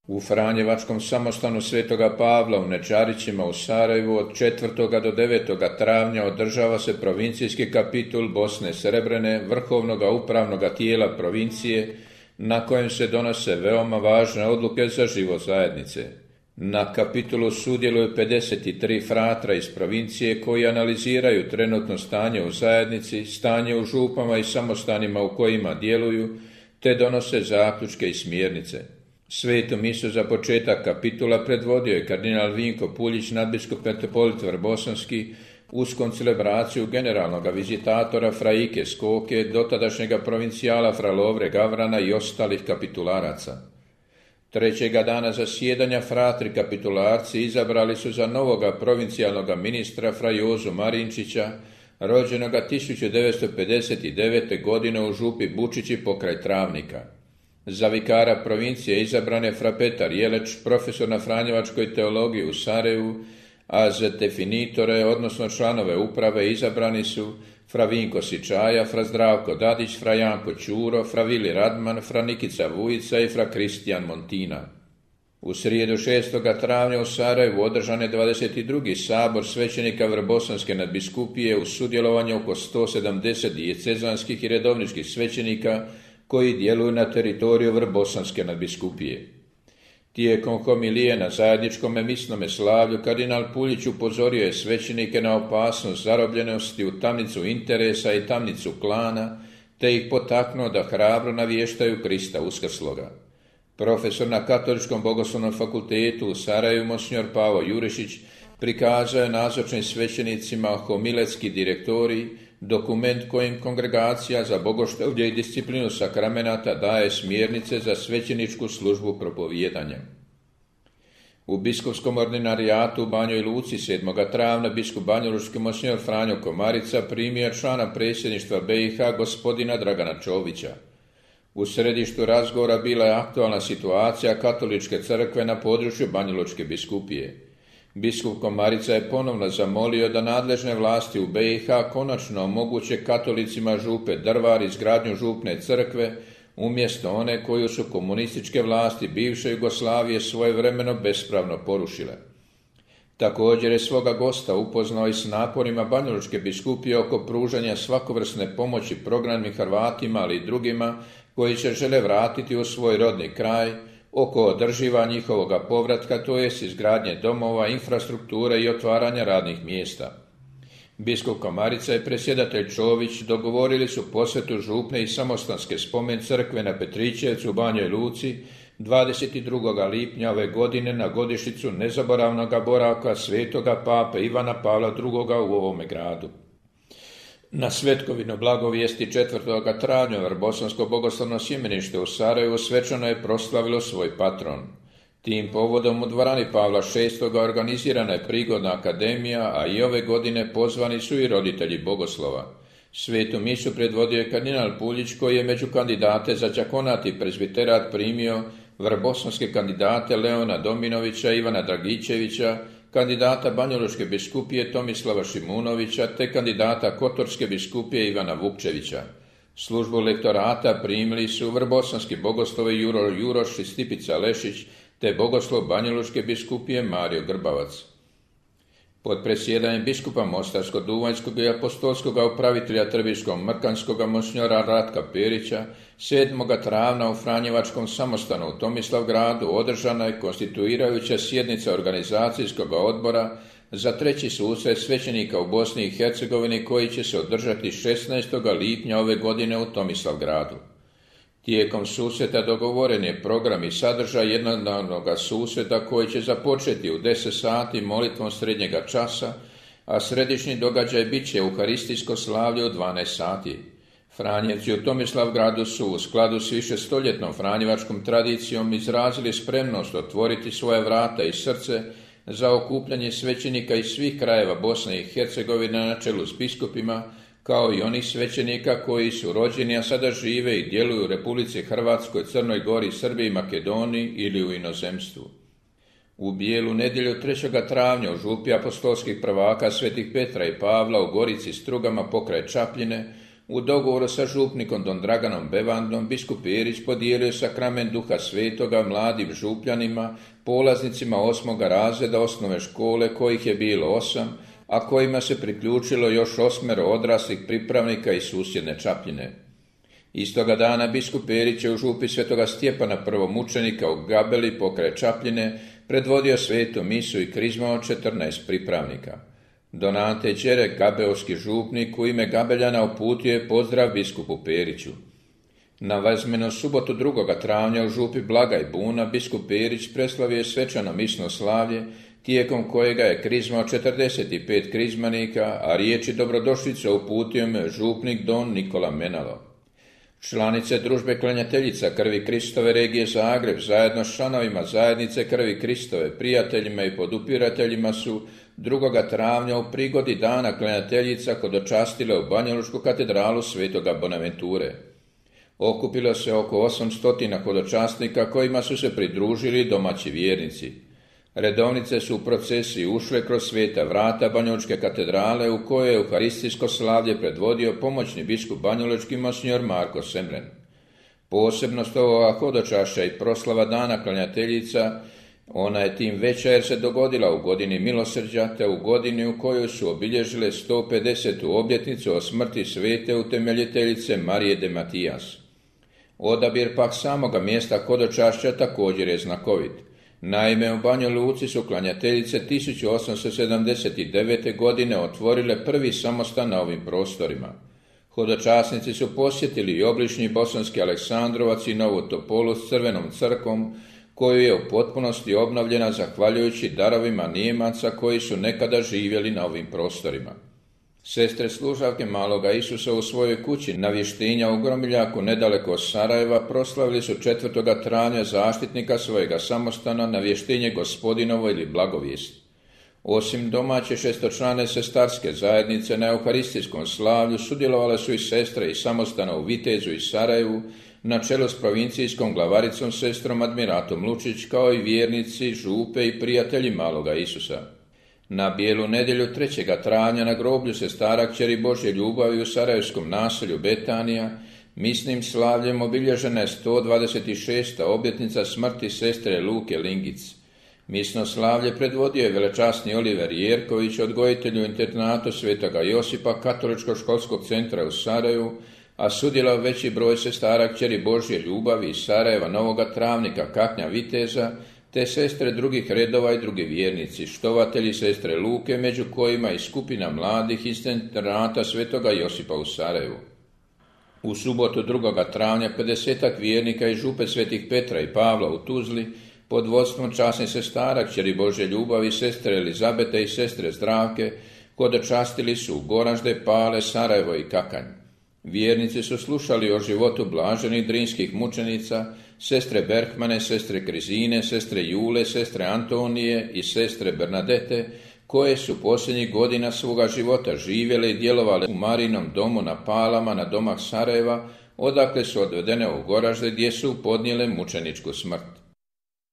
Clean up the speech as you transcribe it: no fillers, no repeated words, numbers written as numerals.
U Franjevačkom samostanu Svetoga Pavla u Nečarićima u Sarajevu od 4. do 9. travnja održava se provincijski kapitul Bosne Srebrene, vrhovnoga upravnoga tijela provincije, na kojem se donose veoma važne odluke za život zajednice. Na kapitulu sudjeluju 53 fratra iz provincije koji analiziraju trenutno stanje u zajednici, stanje u župama i samostanima u kojima djeluju, te donose zaključke i smjernice. Svetu misu za početak kapitula predvodio je kardinal Vinko Puljić, nadbiskup metropolit Vrbosanski, uz koncelebraciju generalnog vizitatora fra Ike Skoke, dotadašnjega provincijala fra Lovre Gavrana i ostalih kapitularaca. Trećega dana zasjedanja fratri kapitularci izabrali su za novoga provincijalnog ministra fra Jozu Marinčića, rođenoga 1959. godine u župi Bučići pokraj Travnika. Za vikara provincije izabran je fra Petar Jeleć, profesor na Franjevačkoj teologiji u Sarajevu, a za definitore, odnosno članove uprave, izabrani su fra Vinko Sičaja, fra Zdravko Dadić, fra Janko Ćuro, fra Vili Radman, fra Nikica Vujica i fra Kristijan Montina. U srijedu 6. travnja u Sarajevu održan je 22. sabor svećenika Vrbosanske nadbiskupije uz sudjelovanje oko 170 dijecezanskih i redovničkih svećenika koji djeluju na teritoriju Vrbosanske nadbiskupije. Tijekom homilije na zajedničkom misnome slavlju kardinal Puljić upozorio je svećenike na opasnost zarobljenosti u tamnicu interesa i tamnicu klana, te ih potaknuo da hrabro navještaju Krista uskrsloga. Profesor na Katoličkom bogoslovnom fakultetu u Sarajevu monsignor Pavo Jurišić prikazao je nazočnim svećenicima homiletski direktorij, dokument kojim kongregacija za bogoštovlje i disciplinu sakramenata daje smjernice za svećeničku službu propovijedanja. U biskupskom ordinarijatu u Banjoj Luci 7. travnja biskup banjalučki monsignor Franjo Komarica primio člana predsjedništva BiH gospodina Dragana Čovića. U središtu razgovora bila je aktualna situacija katoličke crkve na području Banjalučke biskupije. Biskup Komarica je ponovno zamolio da nadležne vlasti u BiH konačno omoguće katolicima župe Drvar izgradnju župne crkve umjesto one koju su komunističke vlasti bivše Jugoslavije svojevremeno bespravno porušile. Također je svoga gosta upoznao i s naporima Banjalučke biskupije oko pružanja svakovrsne pomoći prognanim Hrvatima, ali i drugima koji se žele vratiti u svoj rodni kraj, oko održiva njihovoga povratka, to jest izgradnje domova, infrastrukture i otvaranja radnih mjesta. Biskup Komarica i predsjedatelj Čović dogovorili su posjetu župne i samostanske spomen crkve na Petrićevcu u Banjoj Luci 22. lipnja ove godine na godišnjicu nezaboravnog boravka svetoga pape Ivana Pavla II. U ovome gradu. Na svetkovinu blagovijesti 4. travnja Vrbosansko bogoslovno sjemenište u Sarajevu svečano je proslavilo svoj patron. Tim povodom u dvorani Pavla VI. Organizirana je prigodna akademija, a i ove godine pozvani su i roditelji bogoslova. Svetu misu predvodio je kardinal Puljić koji je među kandidate za đakonat i prezbiterat primio vrbosanske kandidate Leona Dominovića, Ivana Dragičevića, kandidata Banjalučke biskupije Tomislava Šimunovića te kandidata Kotorske biskupije Ivana Vukčevića. Službu lektorata primili su vrbosanski bogoslovi Juro Juroš i Stipica Lešić te bogoslov Banjalučke biskupije Mario Grbavac. Pod presjedanjem biskupa Mostarsko-Duvanjskog i apostolskog upravitelja Trbiško-Mrkanskog monsignora Ratka Perića 7. travnja u Franjevačkom samostanu u Tomislavgradu održana je konstituirajuća sjednica organizacijskog odbora za treći susret svećenika u Bosni i Hercegovini koji će se održati 16. lipnja ove godine u Tomislavgradu. Tijekom susreta dogovoren je program i sadržaj jednodnevnog susreta koji će započeti u 10 sati molitvom srednjega časa, a središnji događaj bit će euharistijsko slavlje u 12 sati. Franjevci u Tomislavgradu su u skladu s višestoljetnom franjevačkom tradicijom izrazili spremnost otvoriti svoje vrata i srce za okupljanje svećenika iz svih krajeva Bosne i Hercegovine na čelu s biskupima, kao i onih svećenika koji su rođeni, a sada žive i djeluju u Republici Hrvatskoj, Crnoj Gori, Srbiji, Makedoniji ili u inozemstvu. U bijelu nedjelju 3. travnja u župi apostolskih prvaka svetih Petra i Pavla u Gorici Strugama pokraj Čapljine u dogovoru sa župnikom don Draganom Bevandom, biskup Perić podijelio sakrament Duha Svetoga mladim župljanima, polaznicima 8. razreda osnovne škole, kojih je bilo 8, a kojima se priključilo još 8 odraslih pripravnika iz susjedne Čapljine. Istoga dana biskup Perić je u župi svetoga Stjepana prvomučenika u Gabeli pokraj Čapljine predvodio svetu misu i krizmao 14 pripravnika. Don Ante Đerek, gabeovski župnik, u ime Gabeljana uputio je pozdrav biskupu Periću. Na Vazmenu subotu 2. travnja u župi Blagaj Buna biskup Perić preslavio je svečano misno slavlje, tijekom kojega je krizmao 45 krizmanika, a riječi dobrodošlice uputio me župnik don Nikola Menalo. Članice družbe klanjateljica Krvi Kristove regije Zagreb zajedno s članovima zajednice Krvi Kristove, prijateljima i podupirateljima su 2. travnja u prigodi dana klanjateljica hodočastile u Banjalučku katedralu Svetoga Bonaventure. Okupilo se oko 800 hodočasnika kojima su se pridružili domaći vjernici. Redovnice su u procesiji ušle kroz sveta vrata Banjalučke katedrale u kojoj je euharistijsko slavlje predvodio pomoćni biskup banjalučki monsignor Marko Semren. Posebnost ovoga hodočašća i proslava dana klanjateljica, ona je tim veća jer se dogodila u godini milosrđa te u godini u kojoj su obilježile 150. obljetnicu o smrti svete utemeljiteljice Marije de Matijas. Odabir pak samoga mjesta hodočašća također je znakovit. Naime, u Banja Luci su klanjateljice 1879. godine otvorile prvi samostan na ovim prostorima. Hodočasnici su posjetili i obližnji Bosanski Aleksandrovac i Novu Topolu s crvenom crkvom, koju je u potpunosti obnovljena zahvaljujući darovima Nijemaca koji su nekada živjeli na ovim prostorima. Sestre služavke Maloga Isusa u svojoj kući na Vještinja u Gromiljaku nedaleko od Sarajeva proslavili su 4. travnja zaštitnika svojega samostana na Vještinje Gospodinovo ili Blagovijest. Osim domaće šestočlane sestarske zajednice na euharistijskom slavlju sudjelovale su i sestre iz samostana u Vitezu i Sarajevu na čelu s provincijskom glavaricom sestrom Admiratom Lučić, kao i vjernici, župe i prijatelji Maloga Isusa. Na Bijelu nedjelju 3. travnja na groblju sestara Kćeri Božje ljubavi u sarajevskom naselju Betanija misnim slavljem obilježena je 126. obljetnica smrti sestre Luke Lingic. Misno slavlje predvodio je velečasni Oliver Jerković, odgojitelj u internatu Svetoga Josipa Katoličkog školskog centra u Sarajevu, a sudjelovao veći broj sestara Kćeri Božje ljubavi iz Sarajeva, Novoga Travnika, Kaknja, Viteza, te sestre drugih redova i drugi vjernici, štovatelji sestre Luke, među kojima i skupina mladih iz internata Svetoga Josipa u Sarajevu. U subotu 2. travnja 50 vjernika iz župe Svetih Petra i Pavla u Tuzli pod vodstvom časnih sestara Kćeri Božje ljubavi, sestre Elizabete i sestre Zdravke hodočastili su u Goražde, Pale, Sarajevo i Kakanj. Vjernici su slušali o životu blaženih drinskih mučenica, sestre Berhmane, sestre Krizine, sestre Jule, sestre Antonije i sestre Bernadete, koje su posljednjih godina svoga života živjele i djelovale u Marinom domu na Palama na domah Sarajeva, odakle su odvedene u Goražde gdje su podnijele mučeničku smrt.